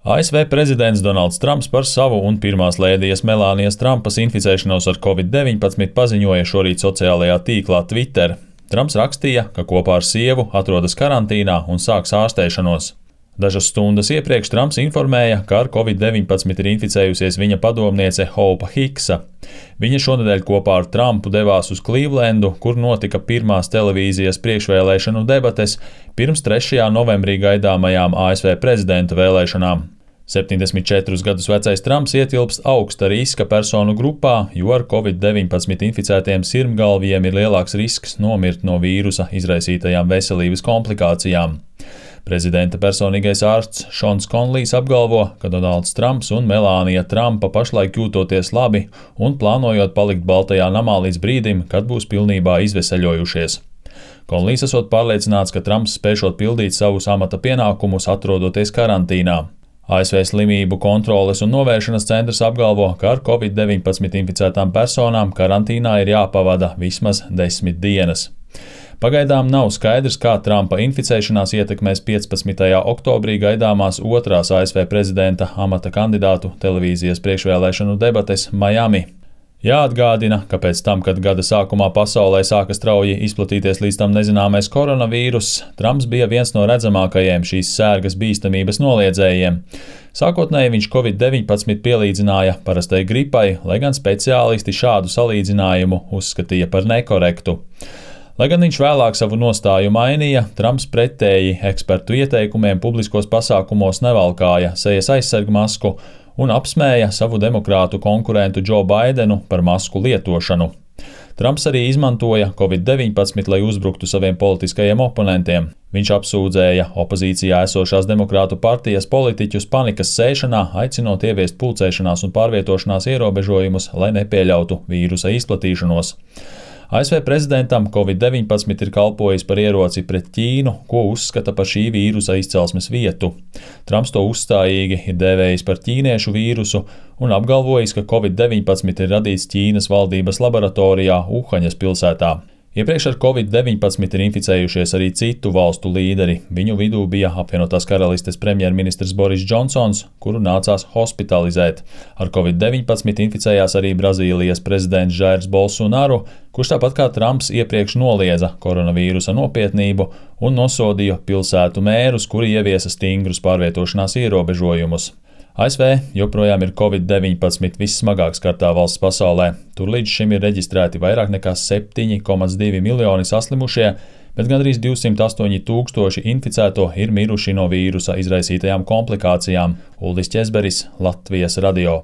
ASV prezidents Donalds Trumps par savu un pirmās lēdijas Melānijas Trumpas inficēšanos ar Covid-19 paziņoja šorīt sociālajā tīklā Twitter. Trumps rakstīja, ka kopā ar sievu atrodas karantīnā un sāks ārstēšanos. Dažas stundas iepriekš Trumps informēja, ka ar Covid-19 ir inficējusies viņa padomniece Hopa Hiksa. Viņa šonedēļ kopā ar Trumpu devās uz Klīvlendu, kur notika pirmās televīzijas priekšvēlēšanu debates pirms 3. novembrī gaidāmajām ASV prezidenta vēlēšanām. 74 gadus vecais Trumps ietilpst augsta riska personu grupā, jo ar Covid-19 inficētiem sirmgalviem ir lielāks risks nomirt no vīrusa izraisītajām veselības komplikācijām. Prezidenta personīgais ārsts Šons Konlijs apgalvo, ka Donalds Trumps un Melānija Trumpa pašlaik jūtoties labi un plānojot palikt Baltajā namā līdz brīdim, kad būs pilnībā izveseļojušies. Konlijs esot pārliecināts, ka Trumps spēšot pildīt savus amata pienākumus, atrodoties karantīnā. ASV Slimību kontroles un novēršanas centrs apgalvo, ka ar Covid-19 inficētām personām karantīnā ir jāpavada vismaz 10 dienas. Pagaidām nav skaidrs, kā Trumpa inficēšanās ietekmēs 15. oktobrī gaidāmās otrās ASV prezidenta amata kandidātu televīzijas priekšvēlēšanu debates Miami. Jāatgādina, ka pēc tam, kad gada sākumā pasaulē sāka strauji izplatīties līdz tam nezināmais koronavīruss, Trumps bija viens no redzamākajiem šīs sērgas bīstamības noliedzējiem. Sākotnēji viņš Covid-19 pielīdzināja parastai gripai, lai gan speciālisti šādu salīdzinājumu uzskatīja par nekorektu. Lai gan viņš vēlāk savu nostāju mainīja, Trumps pretēji ekspertu ieteikumiem publiskos pasākumos nevalkāja sejas aizsargmasku un apsmēja savu demokrātu konkurentu Džo Baidenu par masku lietošanu. Trumps arī izmantoja Covid-19, lai uzbruktu saviem politiskajiem oponentiem. Viņš apsūdzēja opozīcijā esošās demokrātu partijas politiķus panikas sēšanā, aicinot ieviest pulcēšanās un pārvietošanās ierobežojumus, lai nepieļautu vīrusa izplatīšanos. ASV prezidentam Covid-19 ir kalpojis par ieroci pret Ķīnu, ko uzskata par šī vīrusa izcelsmes vietu. Trumps to uzstājīgi ir dēvējis par ķīniešu vīrusu un apgalvojis, ka Covid-19 ir radīts Ķīnas valdības laboratorijā Uhaņas pilsētā. Iepriekš ar Covid-19 ir inficējušies arī citu valstu līderi. Viņu vidū bija apvienotās karalistes premjerministrs Boris Džonsons, kuru nācās hospitalizēt. Ar Covid-19 inficējās arī Brazīlijas prezidents Jairs Bolsonaru, kurš tāpat kā Trumps iepriekš noliedza koronavīrusa nopietnību un nosodīja pilsētu mērus, kuri ieviesa stingrus pārvietošanās ierobežojumus. ASV joprojām ir Covid-19 vissmagāk skartā valsts pasaulē. Tur līdz šim ir reģistrēti vairāk nekā 7,2 miljoni saslimušie, bet gandrīz 208 000 inficēto ir miruši no vīrusa izraisītajām komplikācijām. Uldis Ķezberis, Latvijas radio.